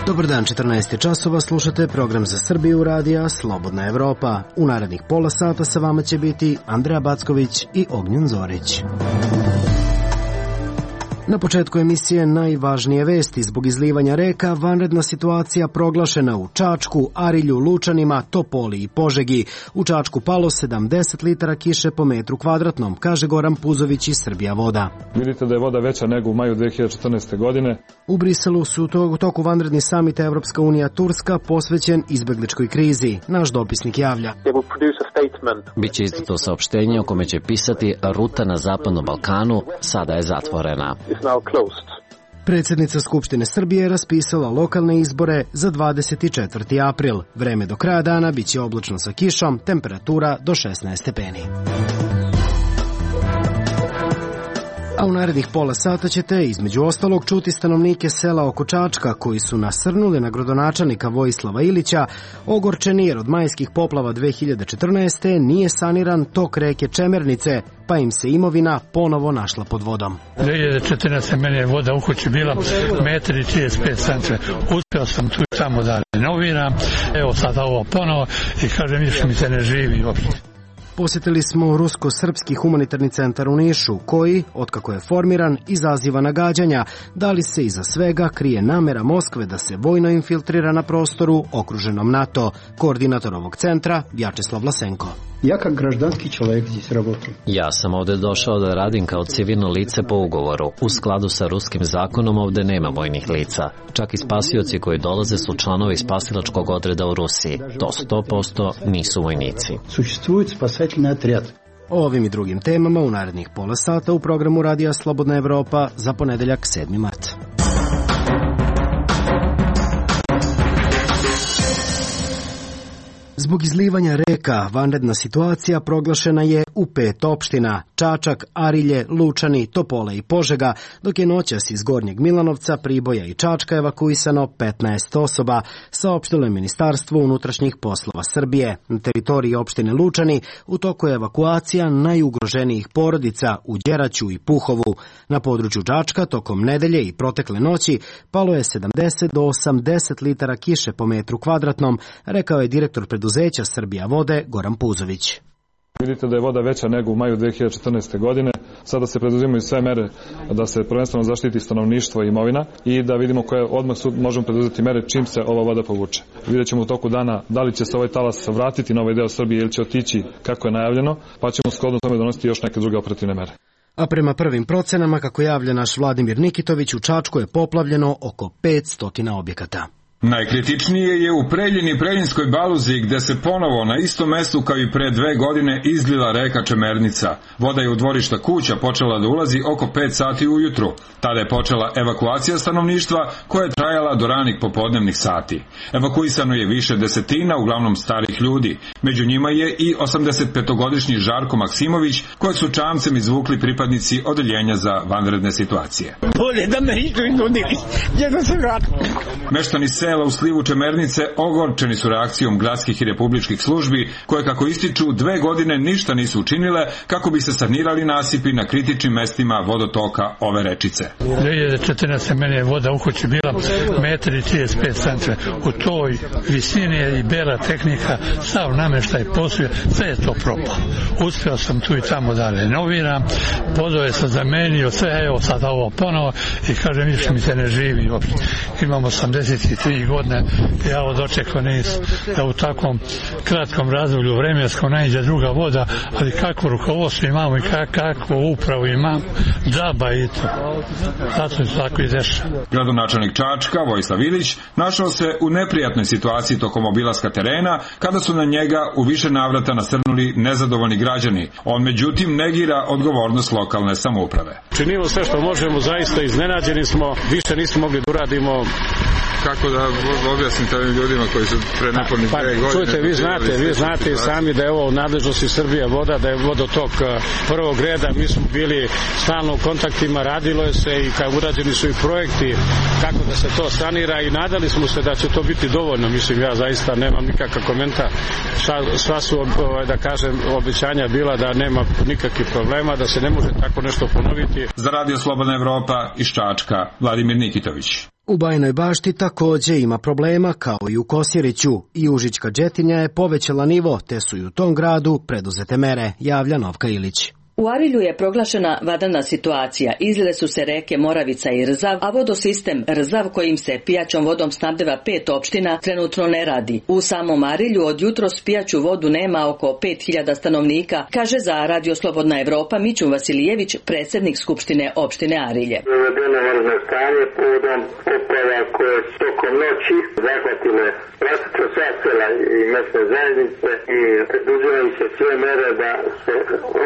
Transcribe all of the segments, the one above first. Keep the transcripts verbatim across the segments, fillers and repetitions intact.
Dobar dan, četrnaest časova, slušate program za Srbiju radija Slobodna Evropa. U narednih pola sata sa vama će biti Andreja Backović i Ognjen Zorić. Na početku emisije najvažnije vesti. Zbog izlivanja reka vanredna situacija proglašena u Čačku, Arilju, Lučanima, Topoli i Požegi. U Čačku palo sedamdeset litara kiše po metru kvadratnom, kaže Goran Puzović iz Srbija voda. Vidite da je voda veća nego u maju dve hiljade četrnaeste. godine. U Briselu su u toku vanredni samit Evropska unija Turska posvećen izbegličkoj krizi. Naš dopisnik javlja. Biće izdato saopštenje o kome će pisati ruta na Zapadnom Balkanu sada je zatvorena. Predsjednica Skupštine Srbije je raspisala lokalne izbore za dvadeset četvrti april. Vreme do kraja dana biće oblačno sa kišom, temperatura do šesnaest stepeni. A u narednih pola sata ćete između ostalog čuti stanovnike sela oko Čačka koji su nasrnuli na gradonačelnika Vojislava Ilića, ogorčeni jer od majskih poplava dve hiljade četrnaeste. nije saniran tok reke Čemernice, pa im se imovina ponovo našla pod vodom. dve hiljade četrnaeste. meni je voda u kući bila metar i trideset pet centimetara. Uspeo sam tu i tamo da renoviram. Evo sada ovo ponovo i kažem više mi se ne živi uopšte. Posjetili smo Rusko-srpski humanitarni centar u Nišu, koji, otkako je formiran, izaziva nagađanja da li se iza svega krije namera Moskve da se vojno infiltrira na prostoru okruženom NATO. Koordinator ovog centra, Vjačeslav Vlasenko. Ja kao građanski čovjek здесь работаю. Ja sam ovde došao da radim kao civilno lice po ugovoru. U skladu sa ruskim zakonom ovde nema vojnih lica. Čak i spasioci koji dolaze su članovi spasilačkog odreda u Rusiji. To sto posto nisu vojnici. Существует спасательный отряд. O ovim i drugim temama u narednih pola sata u programu radija Slobodna Evropa za ponedeljak sedmi mart. Zbog izlivanja reka vanredna situacija proglašena je u pet opština: Čačak, Arilje, Lučani, Topola i Požega, dok je noćas iz Gornjeg Milanovca, Priboja i Čačka evakuisano petnaest osoba, saopštilo je Ministarstvo unutrašnjih poslova Srbije. Na teritoriji opštine Lučani u toku je evakuacija najugroženijih porodica u Đeraću i Puhovu. Na području Čačka tokom nedelje i protekle noći palo je sedamdeset do osamdeset litara kiše po metru kvadratnom, rekao je direktor preduzeća Srbija vode Goran Puzović. Vidite da je voda veća nego u maju dve hiljade četrnaeste. godine. Sada se preduzimaju sve mere da se prvenstveno zaštiti stanovništvo i imovina i da vidimo koje odmah možemo preduzeti mere čim se ova voda povuče. Vidjet ćemo u toku dana da li će se ovaj talas vratiti na ovaj deo Srbije ili će otići kako je najavljeno, pa ćemo shodno tome donositi još neke druge operativne mere. A prema prvim procenama, kako javlja naš Vladimir Nikitović, u Čačku je poplavljeno oko petsto objekata. Najkritičnije je u Preljini i Preljinskoj Baluzi, gde se ponovo na istom mestu kao i pre dve godine izlila reka Čemernica. Voda je u dvorišta kuća počela da ulazi oko pet sati ujutru. Tada je počela evakuacija stanovništva koja je trajala do ranih popodnevnih sati. Evakuisano je više desetina, uglavnom starih ljudi. Među njima je i osamdesetpetogodišnji Žarko Maksimović, kojeg su čamcem izvukli pripadnici odeljenja za vanredne situacije. Bolje da me nisu nudili, jedno se vratimo. Meštani sela u slivu Čemernice ogorčeni su reakcijom gradskih i republičkih službi, koje, kako ističu, dve godine ništa nisu učinile kako bi se sanirali nasipi na kritičnim mestima vodotoka ove rečice. dve hiljade četrnaeste. meni je voda u kući bila metar i trideset pet centimetara. U toj visini je i bela tehnika, sav nameštaj posuje, sve je to propalo. Uspeo sam tu i tamo da renoviram, vodove sam zamenio, sve, evo sad ovo ponovo i kažem više mi se ne živi uopšte. Imam osamdeset tri godine, ja ovo dočekao nis da u takvom kratkom razdoblju vremenskom najđe druga voda, ali kako rukovodstvo imamo i kako upravu imam, džaba i to. Zato se tako i dešava. Gradonačelnik Čačka, Vojislav Ilić, našao se u neprijatnoj situaciji tokom obilaska terena, kada su na njega u više navrata nasrnuli nezadovoljni građani. On međutim negira odgovornost lokalne samouprave. Činimo sve što možemo, zaista iznenađeni smo, više nismo mogli da uradimo. Kako da objasnite ovim ljudima koji su pre nepunih pa, dve godine... Čujte, vi znate, vi znate i sami da je ovo u nadležnosti Srbija voda, da je vodotok prvog reda, mi smo bili stalno u kontaktima, radilo je se i kao urađeni su i projekti kako da se to sanira i nadali smo se da će to biti dovoljno, mislim ja zaista nemam nikakav komentar, sva, sva su, da kažem, obećanja bila da nema nikakvih problema, da se ne može tako nešto ponoviti. Za Radio Slobodna Evropa iz Čačka, Vladimir Nikitović. U Bajinoj Bašti takođe ima problema kao i u Kosjeriću i Užička Đetinja je povećala nivo, te su i u tom gradu preduzete mere, javlja Novka Ilić. U Arilju je proglašena vanredna situacija. Izlile su se reke Moravica i Rzav, a vodosistem Rzav kojim se pijaćom vodom snabdeva pet opština trenutno ne radi. U samom Arilju od jutros pijaću vodu nema oko pet hiljada stanovnika, kaže za Radio Slobodna Evropa Mićun Vasilijević, predsjednik Skupštine opštine Arilje. Uvedeno vanredno stanje povodom poplava koje su tokom noći zahvatile praktično sva sela i mesne zajednice i preduzimaju se sve mere da se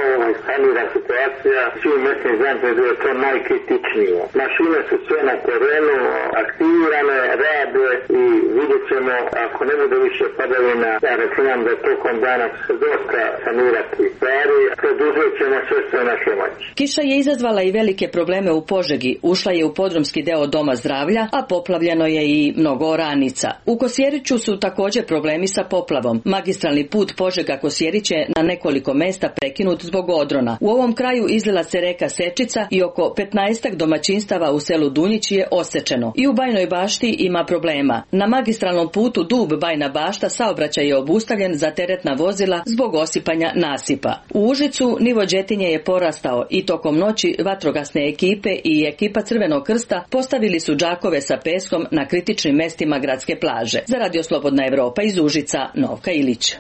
ovaj sanira situacija. Svi mesni zajednice da je to najkritičnije. Mašine su sve na terenu, aktivirane, rade i vidjet ćemo ako ne bude više padavina, ja računam da tokom dana se dosta sanirati stvari, preduzet ćemo sve sve naše moći. Kiša je izazvala i velike probleme u Požegi, ušla je u podrumski deo Doma zdravlja, a poplavljeno je i mnogo oranica. U Kosjeriću su također problemi sa poplavom. Magistralni put Požega-Kosjerić je na nekoliko mesta prekinut zbog odrona. U ovom kraju izlila se reka Sečica i oko petnaestak domaćinstava u selu Dunjić je osečeno. I u Bajinoj Bašti ima problema. Na magistralnom putu Dub-Bajna Bašta saobraćaj je obustavljen za teretna vozila zbog osipanja nasipa. U Užicu nivo Đetinje je porastao i tokom noći vatrogasne ekipe i ekipa Crvenog krsta postavili su džakove sa peskom na kritičnim mestima gradske plaže. Za Radio Slobodna Evropa iz Užica, Novka Ilić.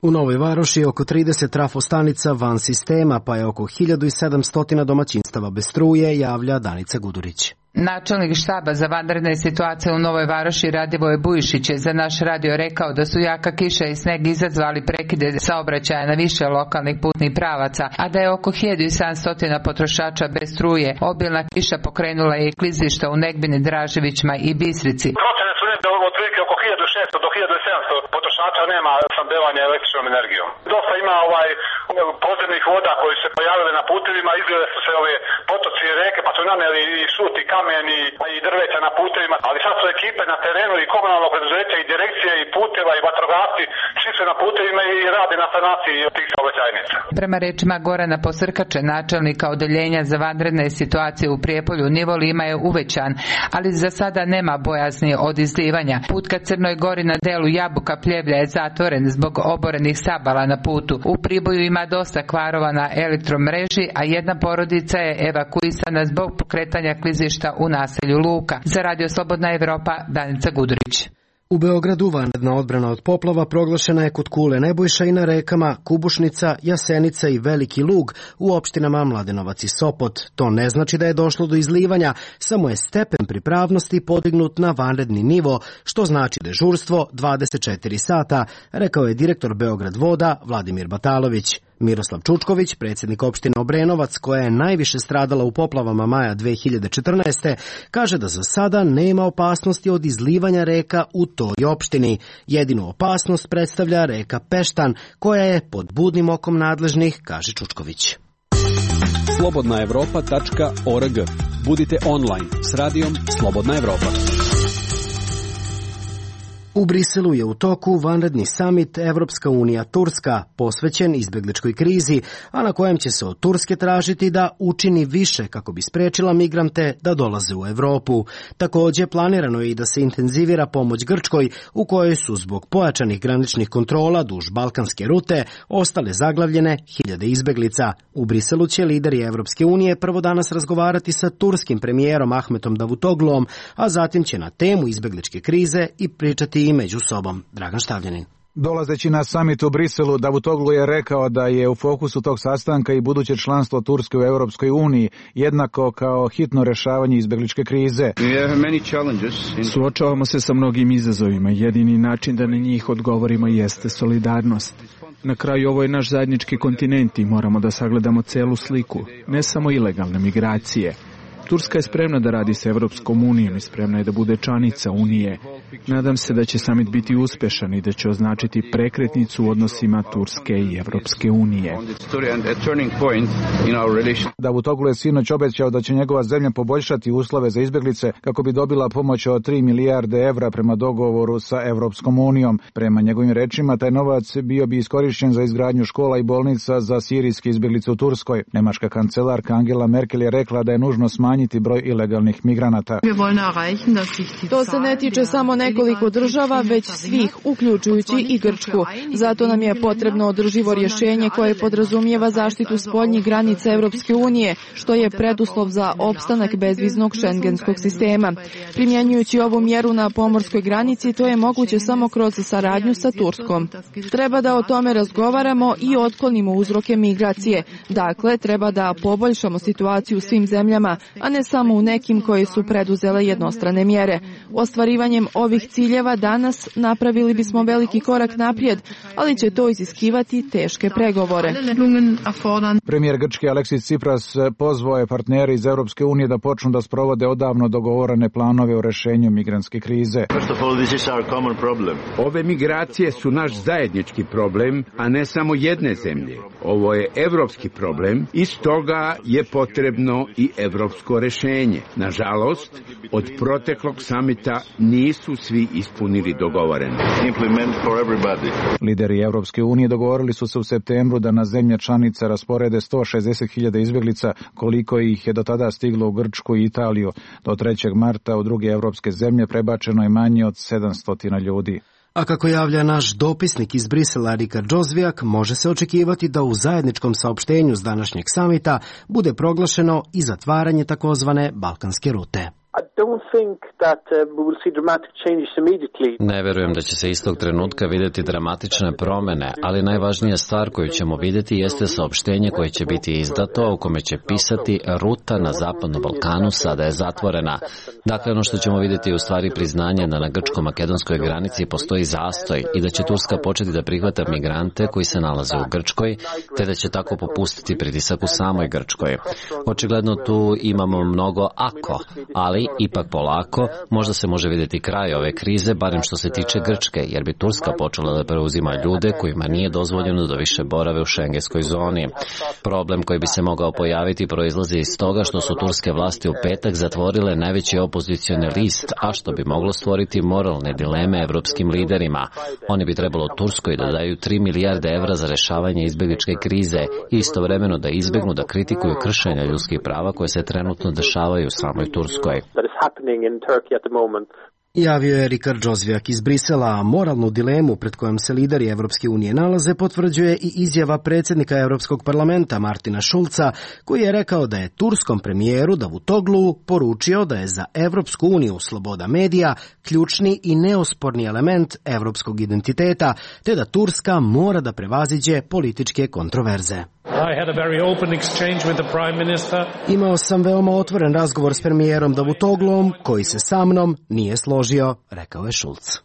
U Novoj Varoši je oko trideset trafostanica van sistema, pa je oko hiljadu sedamsto domaćinstava bez struje, javlja Danica Gudurić. Načelnik štaba za vanredne situacije u Novoj Varoši Radivoje Bujišić je za naš radio rekao da su jaka kiša i sneg izazvali prekide saobraćaja na više lokalnih putnih pravaca, a da je oko hiljadu sedamsto potrošača bez struje. Obilna kiša pokrenula je i klizišta u Negbini, Draževićima i Bistrici. Procene su negde otprilike oko hiljadu šesto do hiljadu sedamsto potrošača nema snabdevanja električnom energijom. Dosta ima ovaj podzemnih voda koji se pojavile na putevima, izgleda su se ove potoci i reke, pa su naneli i šut i kamen i, i drveća na putevima, ali sad su ekipe na terenu i komunalno preduzeće i direkcije i puteva i vatrogasci, svi su na putevima i rade na sanaciji tih saobraćajnica. Prema rečima Gorana Posrkače, načelnika odeljenja za vanredne situacije u Prijepolju, nivo Lima je uvećan, ali za sada nema bojazni od izlivanja. Put ka Crnoj Gori na delu Jabuka Pljevlja je zatvoren zbog oborenih sabala na putu. U Priboju ima dosta kvarova na elektromreži, a jedna porodica je evakuisana zbog pokretanja klizišta u naselju Luka. Za Radio Slobodna Evropa, Danica Gudurić. U Beogradu vanredna odbrana od poplava proglašena je kod Kule Nebojša i na rekama Kubušnica, Jasenica i Veliki Lug u opštinama Mladenovac i Sopot. To ne znači da je došlo do izlivanja, samo je stepen pripravnosti podignut na vanredni nivo, što znači dežurstvo dvadeset četiri sata, rekao je direktor Beograd voda Vladimir Batalović. Miroslav Čučković, predsjednik opštine Obrenovac, koja je najviše stradala u poplavama maja dve hiljade četrnaeste. kaže da za sada nema opasnosti od izlivanja reka u toj opštini. Jedinu opasnost predstavlja reka Peštan, koja je pod budnim okom nadležnih, kaže Čučković. slobodna evropa tačka org. Budite online s radijom Slobodna Evropa. U Briselu je u toku vanredni samit Evropska unija Turska, posvećen izbegličkoj krizi, a na kojem će se od Turske tražiti da učini više kako bi sprečila migrante da dolaze u Evropu. Također planirano je i da se intenzivira pomoć Grčkoj, u kojoj su zbog pojačanih graničnih kontrola duž balkanske rute ostale zaglavljene hiljade izbeglica. U Briselu će lideri Evropske unije prvo danas razgovarati sa turskim premijerom Ahmetom Davutoglom, a zatim će na temu izbegličke krize i pričati i među sobom. Dragan Štavljanin. Dolazeći na samit u Briselu, Davutoglu je rekao da je u fokusu tog sastanka i buduće članstvo Turske u Europskoj uniji, jednako kao hitno rešavanje izbegličke krize. Suočavamo se sa mnogim izazovima. Jedini način da na njih odgovorimo jeste solidarnost. Na kraju ovo je naš zajednički kontinent i moramo da sagledamo celu sliku, ne samo ilegalne migracije. Turska je spremna da radi sa Evropskom unijom i spremna je da bude članica Unije. Nadam se da će samit biti uspešan i da će označiti prekretnicu u odnosima Turske i Evropske unije. Davutoglu je sinoć obećao da će njegova zemlja poboljšati uslove za izbeglice kako bi dobila pomoć od tri milijarde evra prema dogovoru sa Evropskom unijom. Prema njegovim rečima, taj novac bio bi iskorišćen za izgradnju škola i bolnica za sirijske izbeglice u Turskoj. Nemačka kancelarka Angela Merkel je rekla da je nužno smanjiti broj ilegalnih migranata. To se ne tiče samo nekoliko država, već svih, uključujući i Grčku. Zato nam je potrebno održivo rješenje koje podrazumijeva zaštitu spoljnih granica Evropske unije, što je preduslov za opstanak bezviznog šengenskog sistema. Primjenjujući ovu mjeru na pomorskoj granici, to je moguće samo kroz saradnju sa Turskom. Treba da o tome razgovaramo i otklonimo uzroke migracije. Dakle, treba da poboljšamo situaciju u svim zemljama, a ne samo u nekim koje su preduzele jednostrane mjere. Ostvarivanjem ovih ciljeva danas napravili bismo veliki korak naprijed, ali će to iziskivati teške pregovore. Premijer Grčke Aleksis Tsipras pozvao je partnere iz Evropske unije da počnu da sprovode odavno dogovorene planove o rešenju migrantske krize. Ove migracije su naš zajednički problem, a ne samo jedne zemlje. Ovo je evropski problem i stoga je potrebno i evropsko rešenje. Nažalost, od proteklog samita nisu svi ispunili dogovoreno. Lideri Evropske unije dogovorili su se u septembru da na zemlje članice rasporede sto šezdeset hiljada izbjeglica, koliko ih je do tada stiglo u Grčku i Italiju. Do trećeg marta u druge evropske zemlje prebačeno je manje od sedamsto ljudi. A kako javlja naš dopisnik iz Brisela Rika Džozvijak, može se očekivati da u zajedničkom saopštenju s današnjeg samita bude proglašeno i zatvaranje takozvane balkanske rute. Ne verujem da će se istog trenutka vidjeti dramatične promjene, ali najvažnija stvar koju ćemo vidjeti jeste saopštenje koje će biti izdato, u kome će pisati ruta na Zapadnom Balkanu sada je zatvorena. Dakle, ono što ćemo vidjeti je u stvari priznanje da na grčko-makedonskoj granici postoji zastoj i da će Turska početi da prihvata migrante koji se nalaze u Grčkoj, te da će tako popustiti pritisak u samoj Grčkoj. Očigledno tu imamo mnogo ako, ali ipak polako, možda se može vidjeti kraj ove krize, barem što se tiče Grčke, jer bi Turska počela da preuzima ljude kojima nije dozvoljeno da više borave u šengenskoj zoni. Problem koji bi se mogao pojaviti proizlazi iz toga što su turske vlasti u petak zatvorile najveći opozicioni list, a što bi moglo stvoriti moralne dileme evropskim liderima. Oni bi trebalo Turskoj da daju tri milijarde evra za rešavanje izbjegličke krize i istovremeno da izbjegnu da kritikuju kršenja ljudskih prava koje se trenutno dešavaju u samoj Turskoj. Javio je Rikard Džozvijak iz Brisela, a moralnu dilemu pred kojom se lideri Evropske unije nalaze potvrđuje i izjava predsjednika Europskog parlamenta Martina Šulca, koji je rekao da je turskom premijeru Davutoglu poručio da je za Evropsku uniju sloboda medija ključni i neosporni element evropskog identiteta, te da Turska mora da prevaziđe političke kontroverze. Imao sam veoma otvoren razgovor s premijerom Davutoglom, koji se sa mnom nije složio, rekao je Šulc.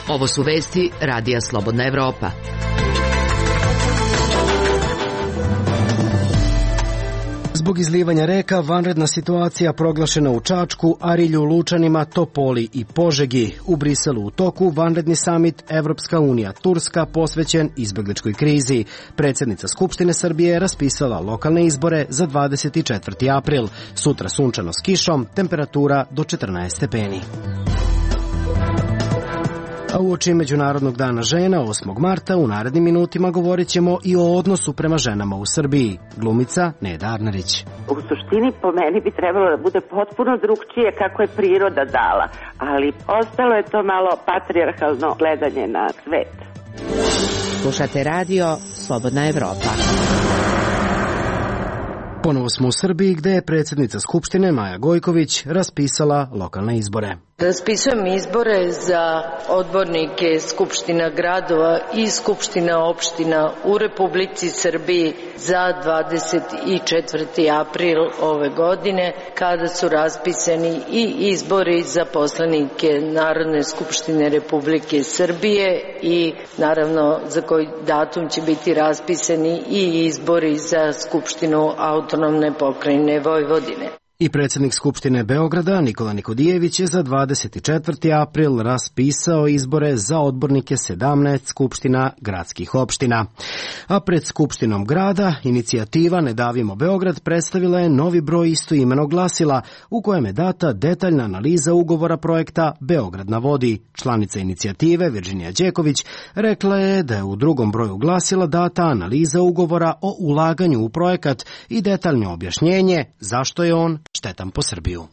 Ovo su vesti Radija Slobodna Evropa. Zbog izlivanja reka, vanredna situacija proglašena u Čačku, Arilju, Lučanima, Topoli i Požegi. U Briselu u toku vanredni samit Evropska unija Turska posvećen izbegličkoj krizi. Predsjednica Skupštine Srbije je raspisala lokalne izbore za dvadeset četvrti april. Sutra sunčano s kišom, temperatura do četrnaest stepeni. A uoči Međunarodnog dana žena osmog marta u narednim minutima govorit ćemo i o odnosu prema ženama u Srbiji. Glumica Neda Arnerić. U suštini po meni bi trebalo da bude potpuno drugčije kako je priroda dala, ali ostalo je to malo patrijarhalno gledanje na svet. Slušate radio Slobodna Evropa. Ponovo smo u Srbiji gde je predsjednica Skupštine Maja Gojković raspisala lokalne izbore. Raspisujem izbore za odbornike Skupština gradova i Skupština opština u Republici Srbiji za dvadeset četvrti april ove godine, kada su raspisani i izbori za poslanike Narodne skupštine Republike Srbije i naravno za koji datum će biti raspisani i izbori za Skupštinu autonomne pokrajine Vojvodine. I predsjednik Skupštine Beograda Nikola Nikodijević je za dvadeset četvrti april raspisao izbore za odbornike sedamnaest skupština gradskih opština. A pred Skupštinom grada inicijativa Ne davimo Beograd predstavila je novi broj istoimenog glasila u kojem je data detaljna analiza ugovora projekta Beograd na vodi. Članica inicijative Virginija Đeković rekla je da je u drugom broju glasila data analiza ugovora o ulaganju u projekat i detaljno objašnjenje zašto je on štetan po Srbiju.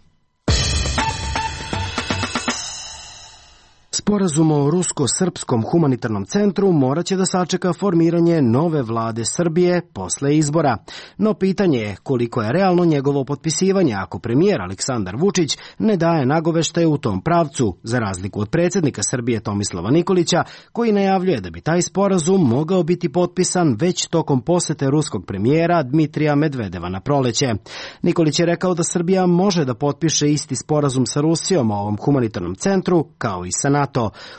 Sporazum o rusko-srpskom humanitarnom centru morat će da sačeka formiranje nove vlade Srbije posle izbora. No pitanje je koliko je realno njegovo potpisivanje ako premijer Aleksandar Vučić ne daje nagoveštaje u tom pravcu, za razliku od predsjednika Srbije Tomislava Nikolića, koji najavljuje da bi taj sporazum mogao biti potpisan već tokom posete ruskog premijera Dmitrija Medvedeva na proleće. Nikolić je rekao da Srbija može da potpiše isti sporazum sa Rusijom o ovom humanitarnom centru kao i sa NATO.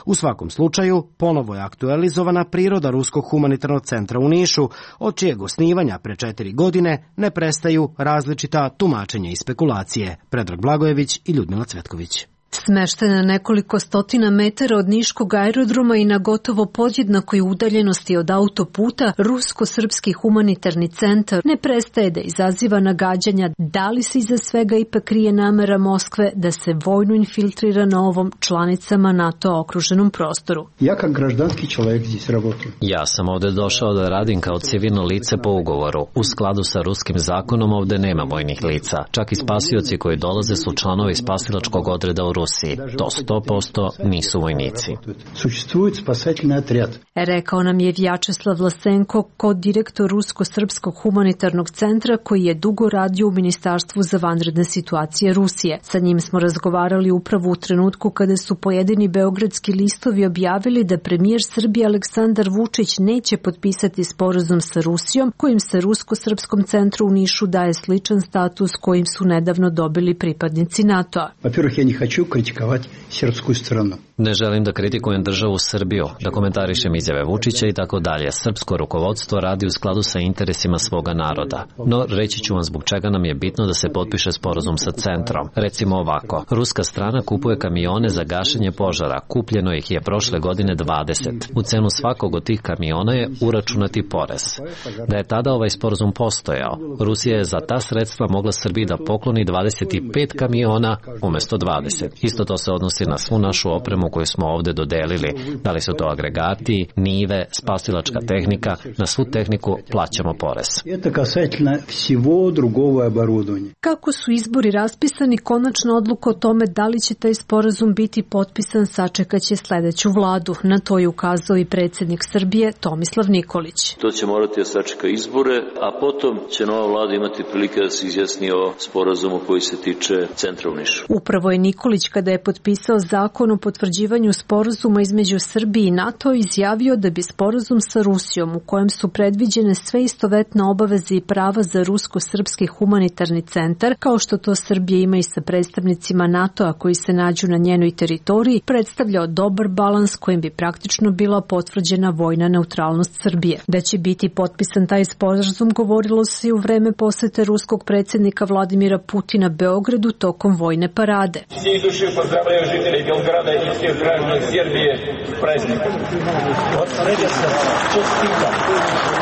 U svakom slučaju, ponovo je aktualizovana priroda Ruskog humanitarnog centra u Nišu, od čijeg osnivanja pre četiri godine ne prestaju različita tumačenja i spekulacije. Predrag Blagojević i Ljudmila Cvetković. Smeštena nekoliko stotina metara od Niškog aerodroma i na gotovo podjednakoj udaljenosti od autoputa, Rusko-srpski humanitarni centar ne prestaje da izaziva nagađanja da li se iza svega ipak krije namera Moskve da se vojno infiltrira na ovom članicama NATO okruženom prostoru. Ja kao građanski čovjek здесь работаю. Ja sam ovde došao da radim kao civilno lice po ugovoru. U skladu sa ruskim zakonom ovde nema vojnih lica. Čak i spasioci koji dolaze su članovi spasilačkog odreda u Rusiji. To sto posto nisu vojnici. Rekao nam je Vjačeslav Vlasenko, kod-direktor Rusko-srpskog humanitarnog centra koji je dugo radio u Ministarstvu za vanredne situacije Rusije. Sa njim smo razgovarali upravo u trenutku kada su pojedini beogradski listovi objavili da premijer Srbije Aleksandar Vučić neće potpisati sporazum sa Rusijom, kojim se Rusko-srpskom centru u Nišu daje sličan status kojim su nedavno dobili pripadnici NATO-a. критиковать сербскую страну. Ne želim da kritikujem državu Srbiju, da komentarišem izjave Vučića i tako dalje. Srpsko rukovodstvo radi u skladu sa interesima svoga naroda. No, reći ću vam zbog čega nam je bitno da se potpiše sporazum sa centrom. Recimo ovako, ruska strana kupuje kamione za gašenje požara. Kupljeno ih je prošle godine dvadeset. U cenu svakog od tih kamiona je uračunati porez. Da je tada ovaj sporazum postojao, Rusija je za ta sredstva mogla Srbiji da pokloni dvadeset pet kamiona umesto dvadeset. Isto to se odnosi na svu našu opremu koju smo ovde dodelili. Da li su to agregati, nive, spasilačka tehnika, na svu tehniku plaćamo porez. Kako su izbori raspisani, konačna odluka o tome da li će taj sporazum biti potpisan sačekaće sledeću vladu. Na to je ukazao i predsjednik Srbije Tomislav Nikolić. To će morati da sačeka izbore, a potom će nova vlada imati prilike da se izjasni o sporazumu koji se tiče centra u Nišu. Upravo je Nikolić, kada je potpisao zakon o potvrđivanju sporazuma između Srbije i NATO, izjavio da bi sporazum sa Rusijom, u kojem su predviđene sve istovetne obaveze i prava za Rusko-srpski humanitarni centar, kao što to Srbija ima i sa predstavnicima NATO-a koji se nađu na njenoj teritoriji, predstavljao dobar balans kojim bi praktično bila potvrđena vojna neutralnost Srbije. Da će biti potpisan taj sporazum govorilo se i u vreme posete ruskog predsjednika Vladimira Putina Beogradu tokom vojne parade. Всей души поздравляю жителей Белграда и всех граждан Сербии с праздником. Вот коллега, честитам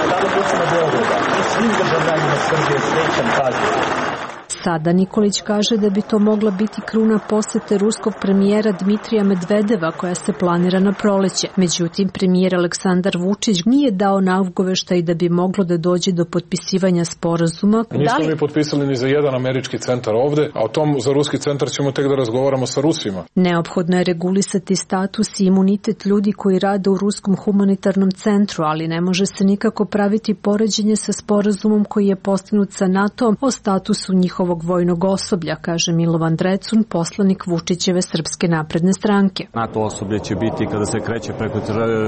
stanovnicima Beograda i svim državljanima Srbije srećan praznik. Sada Nikolić kaže da bi to mogla biti kruna posete ruskog premijera Dmitrija Medvedeva koja se planira na proleće. Međutim, premijer Aleksandar Vučić nije dao nagoveštaj da bi moglo da dođe do potpisivanja sporazuma. Nismo li... mi potpisali ni za jedan američki centar ovde, a o tom za ruski centar ćemo tek da razgovaramo sa Rusima. Neophodno je regulisati status i imunitet ljudi koji rade u Ruskom humanitarnom centru, ali ne može se nikako praviti poređenje sa sporazumom koji je postignut sa NATO o statusu njihovog vojnog osoblja, kaže Milovan Drecun, poslanik Vučićeve Srpske napredne stranke. NATO osoblje će biti kada se kreće preko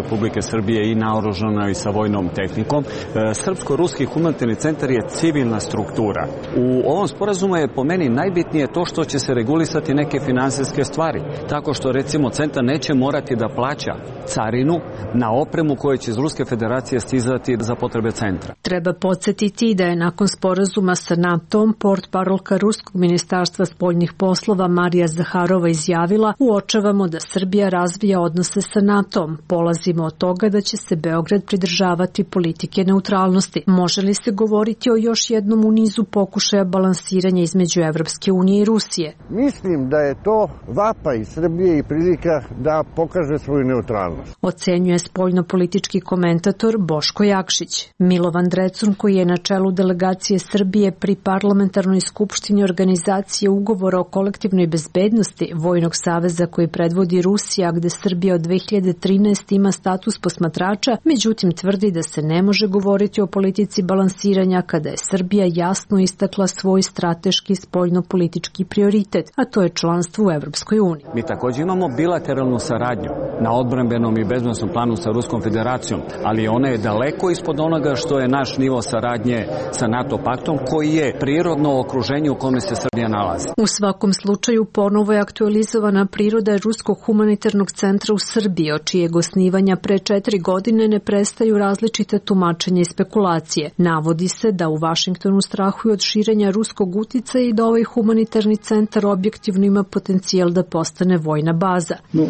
Republike Srbije i naoružano i sa vojnom tehnikom. Srpsko-ruski humanitarni centar je civilna struktura. U ovom sporazumu je po meni najbitnije to što će se regulisati neke finansijske stvari. Tako što recimo centar neće morati da plaća carinu na opremu koja će iz Ruske federacije stizati za potrebe centra. Treba podsjetiti da je nakon sporazuma sa NATO-om portparol portparolka Ruskog ministarstva spoljnih poslova Marija Zaharova izjavila: uočavamo da Srbija razvija odnose sa NATO-om. Polazimo od toga da će se Beograd pridržavati politike neutralnosti. Može li se govoriti o još jednom u nizu pokušaja balansiranja između Evropske unije i Rusije? Mislim da je to vapaj Srbije i prilika da pokaže svoju neutralnost. Ocenjuje spoljnopolitički komentator Boško Jakšić. Milovan Drecun, koji je na čelu delegacije Srbije pri parlamentarnoj skupštini organizacije ugovora o kolektivnoj bezbednosti Vojnog saveza koji predvodi Rusija, gde Srbija od dve hiljade trinaeste. ima status posmatrača, međutim tvrdi da se ne može govoriti o politici balansiranja kada je Srbija jasno istakla svoj strateški spoljnopolitički prioritet, a to je članstvo u Evropskoj uniji. Mi također imamo bilateralnu saradnju na odbrambenom i bezbednosnom planu sa Ruskom federacijom, ali ona je daleko ispod onoga što je naš nivo saradnje sa NATO paktom, koji je prirodno okruženje u kome se Srbija nalazi. U svakom slučaju ponovo je aktualizovana priroda Ruskog humanitarnog centra u Srbiji, od čijeg osnivanja pre četiri godine ne prestaju različite tumačenja i spekulacije. Navodi se da u Vašingtonu strahuju od širenja ruskog uticaja i da ovaj humanitarni centar objektivno ima potencijal da postane vojna baza. No.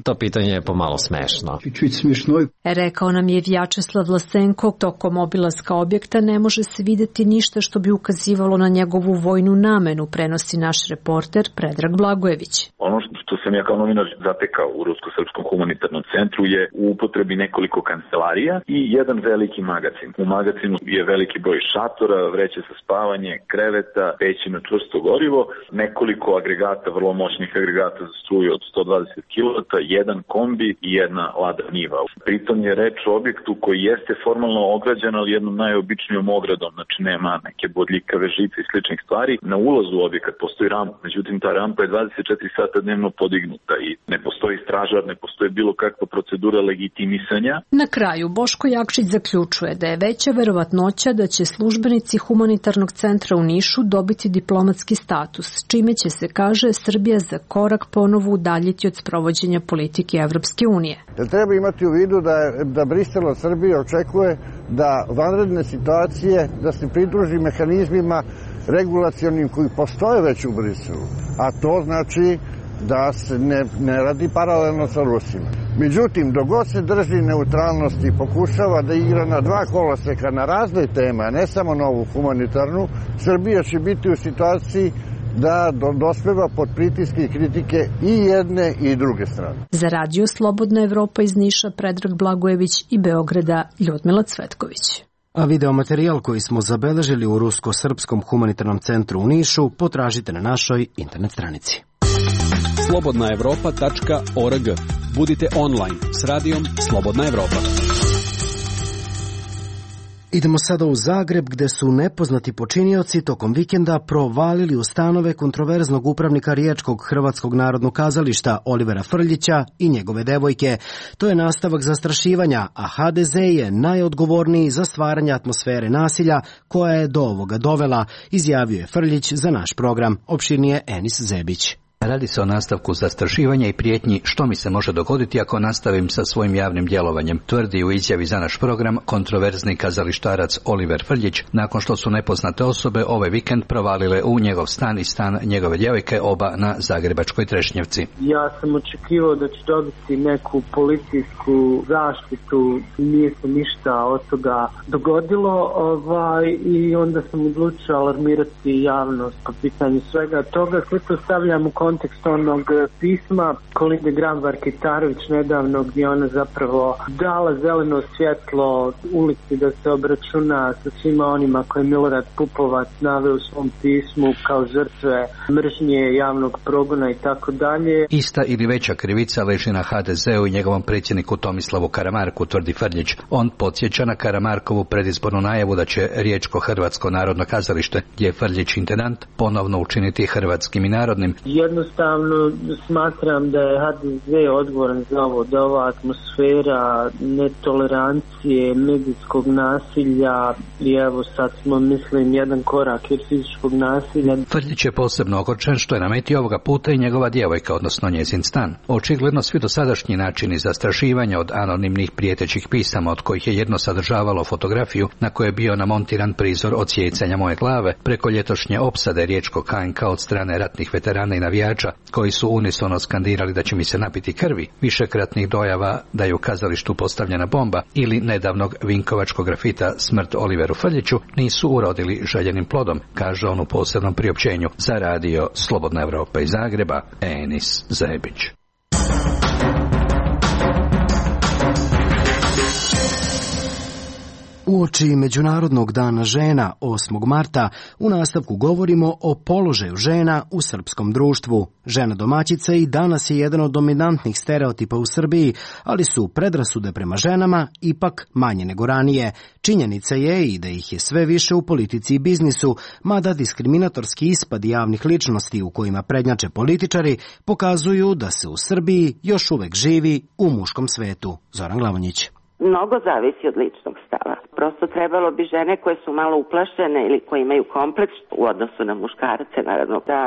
To pitanje je pomalo smešno. Rekao nam je Vjačeslav Vlasenko, tokom obilaska objekta ne može se videti ništa što bi ukazivalo na njegovu vojnu namenu, prenosi naš reporter Predrag Blagojević. Ono što sam ja kao novinar zatekao u Rusko-srpskom humanitarnom centru je u upotrebi nekoliko kancelarija i jedan veliki magacin. U magacinu je veliki broj šatora, vreće za spavanje, kreveta, peći na čvrsto gorivo, nekoliko agregata, vrlo moćnih agregata za struju od sto dvadeset kilovata, jedan kombi i jedna lada niva. Pritom je reč o objektu koji jeste formalno ograđen, ali jednom najobičnijom ogradom, znači nema neke bodljikave žice i sličnih stvari. Na ulazu u objekat postoji rampa, međutim ta rampa je dvadeset četiri sata dnevno podignuta i ne postoji stražar, ne postoji bilo kakva procedura legitimisanja. Na kraju Boško Jakšić zaključuje da je veća verovatnoća da će službenici humanitarnog centra u Nišu dobiti diplomatski status, čime će se, kaže, Srbija za korak ponovo udaljiti od sprovođenja politike Evropske unije. Da treba imati u vidu da, da Brisel od Srbije očekuje da vanredne situacije, da se pridruži mehanizmima regulacionim koji postoje već u Briselu, a to znači da se ne, ne radi paralelno sa Rusima. Međutim, dok god se drži neutralnosti i pokušava da igra na dva koloseka na razne teme, a ne samo na ovu humanitarnu, Srbija će biti u situaciji da dospeva pod pritiske i kritike i jedne i druge strane. Za Radio Slobodna Evropa iz Niša Predrag Blagojević i Beograda Ljudmila Cvetković. A videomaterijal koji smo zabeležili u Rusko-srpskom humanitarnom centru u Nišu potražite na našoj internet stranici. slobodna evropa tačka org. Budite online s radijom Slobodna Evropa. Idemo sada u Zagreb, gde su nepoznati počinioci tokom vikenda provalili u stanove kontroverznog upravnika Riječkog Hrvatskog narodnog kazališta Olivera Frljića i njegove devojke. To je nastavak zastrašivanja, a ha de ze je najodgovorniji za stvaranje atmosfere nasilja koja je do ovoga dovela, izjavio je Frljić za naš program. Opširnije Enis Zebić. Radi se o nastavku zastrašivanja i prijetnji što mi se može dogoditi ako nastavim sa svojim javnim djelovanjem, tvrdi u izjavi za naš program kontroverzni kazalištarac Oliver Frljić, nakon što su nepoznate osobe ovaj vikend provalile u njegov stan i stan njegove djevojke, oba na zagrebačkoj Trešnjevci. Ja sam očekivao da ću dobiti neku policijsku zaštitu, nije se ništa od toga dogodilo, ovaj, i onda sam odlučio alarmirati javnost po pitanju svega toga. Sve to stavljam u kontekst onog pisma Kolinde Grabar-Kitarović nedavno, gdje ona zapravo dala zeleno svjetlo ulici da se obračuna sa svima onima koje Milorad Pupovac naveo u svom pismu kao žrtve mržnje, javnog progona i tako dalje. Ista ili veća krivica leži na ha de zeu i njegovom predsjedniku Tomislavu Karamarku, tvrdi Frljić. On podsjeća na Karamarkovu predizbornu najavu da će Riječko Hrvatsko narodno kazalište, gdje je Frljić intendant, ponovno učiniti hrvatskim i narodnim. Jedno jednostavno smatram da je ha de ze odgovoran za ovo, da ova atmosfera netolerancije, medijskog nasilja i evo sad smo, mislim, jedan korak od fizičkog nasilja. Frljić je posebno ogorčen što je na meti ovoga puta i njegova djevojka, odnosno njezin stan. Očigledno svi dosadašnji načini zastrašivanja od anonimnih prijetećih pisama, od kojih je jedno sadržavalo fotografiju na kojoj je bio namontiran prizor odsjecanja moje glave, preko ljetošnje opsade riječkog ha en ka od strane ratnih veterana i navijača, koji su unisono skandirali da će mi se napiti krvi, višekratnih dojava da je u kazalištu postavljena bomba ili nedavnog vinkovačkog grafita Smrt Oliveru Frljiću, nisu urodili željenim plodom, kaže on u posebnom priopćenju za radio Slobodna Evropa iz Zagreba, Enis Zebić. Uoči Međunarodnog dana žena osmog marta u nastavku govorimo o položaju žena u srpskom društvu. Žena domaćica i danas je jedan od dominantnih stereotipa u Srbiji, ali su predrasude prema ženama ipak manje nego ranije. Činjenica je i da ih je sve više u politici i biznisu, mada diskriminatorski ispadi javnih ličnosti u kojima prednjače političari pokazuju da se u Srbiji još uvek živi u muškom svetu. Zoran Glavonjić. Mnogo zavisi od ličnog stava. Prosto trebalo bi žene koje su malo uplašene ili koje imaju kompleks u odnosu na muškarce, naravno, da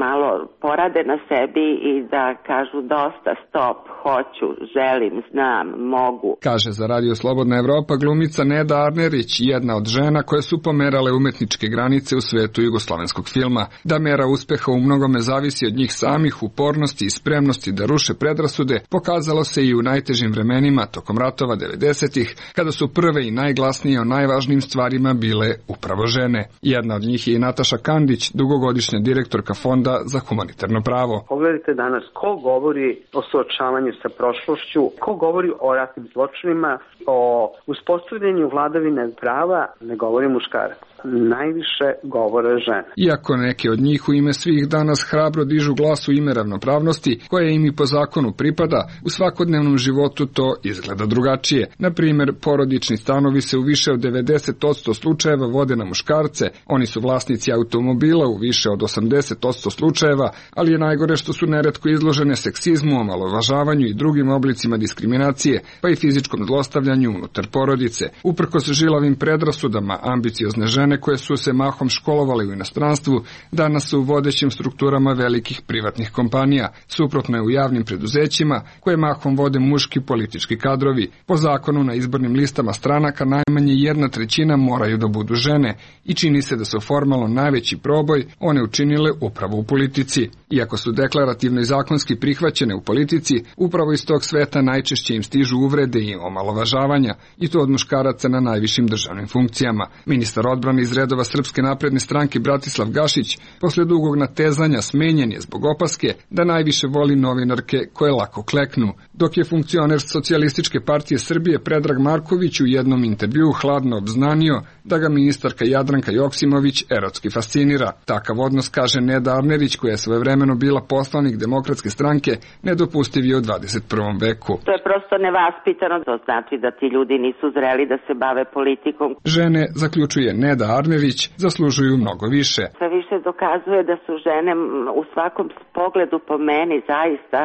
malo porade na sebi i da kažu dosta, stop, hoću, želim, znam, mogu. Kaže za radio Slobodna Evropa glumica Neda Arnerić, jedna od žena koje su pomerale umetničke granice u svetu jugoslovenskog filma. Da mera uspeha u mnogome zavisi od njih samih, upornosti i spremnosti da ruše predrasude, pokazalo se i u najtežim vremenima tokom ratova devedesetih, kada su prve i najglasnije o najvažnijim stvarima bile upravo žene. Jedna od njih je i Nataša Kandić, dugogodišnja direktorka Fonda za humanitarno pravo. Pogledajte danas ko govori o suočavanju sa prošlošću, ko govori o ratnim zločinima, o uspostavljanju vladavine prava, ne govori muškarac. Najviše govore žene. Iako neke od njih u ime svih danas hrabro dižu glas u ime ravnopravnosti, koje im i po zakonu pripada, u svakodnevnom životu to izgleda drugačije. Na primjer, porodični stanovi se u više od devedeset posto slučajeva vode na muškarce, oni su vlasnici automobila u više od osamdeset posto slučajeva, ali je najgore što su neretko izložene seksizmu, omalovažavanju i drugim oblicima diskriminacije, pa i fizičkom zlostavljanju unutar porodice. Uprkos žilavim predrasudama, ambiciozne žene koje su se mahom školovale u inostranstvu, danas su u vodećim strukturama velikih privatnih kompanija, suprotno je u javnim preduzećima, koje mahom vode muški politički kadrovi. Po zakonu na izbornim listama stranaka najmanje jedna trećina moraju da budu žene i čini se da su formalno najveći proboj one učinile upravo u politici. Iako su deklarativno i zakonski prihvaćene u politici, upravo iz tog sveta najčešće im stižu uvrede i omalovažavanja, i to od muškaraca na najvišim državnim funkcijama. Ministar odbrane iz redova Srpske napredne stranke Bratislav Gašić posle dugog natezanja smenjen je zbog opaske da najviše voli novinarke koje lako kleknu, dok je funkcioner Socijalističke partije Srbije Predrag Marković u jednom intervjuu hladno obznanio da ga ministarka Jadranka Joksimović erotski fascinira. Takav odnos, kaže Neda Arnerić, koja je svojevremeno bila poslanik Demokratske stranke, nedopustiv je u dvadeset prvom veku. To je prosto nevaspitano, to znači da ti ljudi nisu zreli da se bave politikom. Žene, zaključuje Neda Arnerić, zaslužuju mnogo više. Sve više dokazuje da su žene u svakom pogledu po meni zaista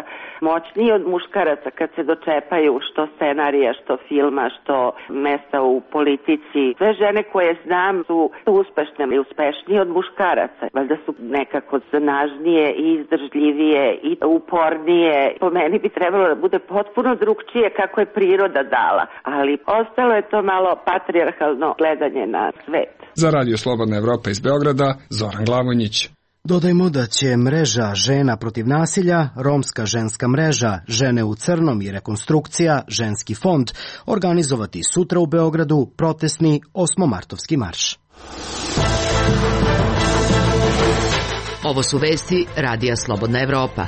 moćnije od muškaraca kad se dočepaju što scenarija, što filma, što mesta u politici. Sve žene koje znam su uspešne i uspešnije od muškaraca. Valjda su nekako snažnije i izdržljivije i upornije. Po meni bi trebalo da bude potpuno drugčije kako je priroda dala, ali ostalo je to malo patrijarhalno gledanje na svet. Za radio Slobodna Evropa iz Beograda, Zoran Glavonjić. Dodajmo da će mreža Žena protiv nasilja, Romska ženska mreža, Žene u crnom i rekonstrukcija, Ženski fond organizovati sutra u Beogradu protestni osmomartovski marš. Ovo su vesti Radija Slobodna Evropa.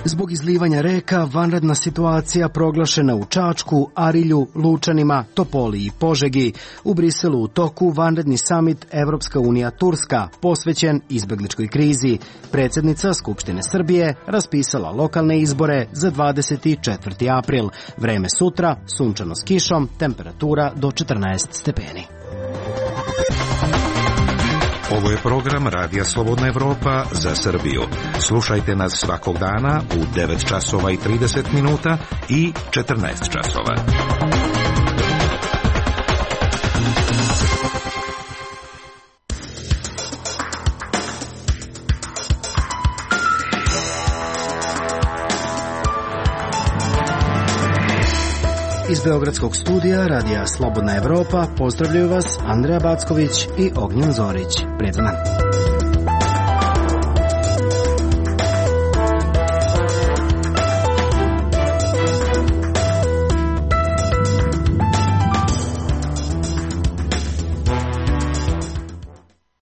Zbog izlivanja reka, vanredna situacija proglašena u Čačku, Arilju, Lučanima, Topoli i Požegi. U Briselu u toku vanredni samit Evropska unija Turska, posvećen izbegličkoj krizi. Predsjednica Skupštine Srbije raspisala lokalne izbore za dvadeset četvrti april. Vreme sutra, sunčano s kišom, temperatura do četrnaest stepeni. Ovo je program Radija Slobodna Evropa za Srbiju. Slušajte nas svakog dana u devet časova i trideset minuta i četrnaest časova. Iz Beogradskog studija Radija Slobodna Evropa pozdravljaju vas Andreja Backović i Ognjen Zorić. Prijatno dan.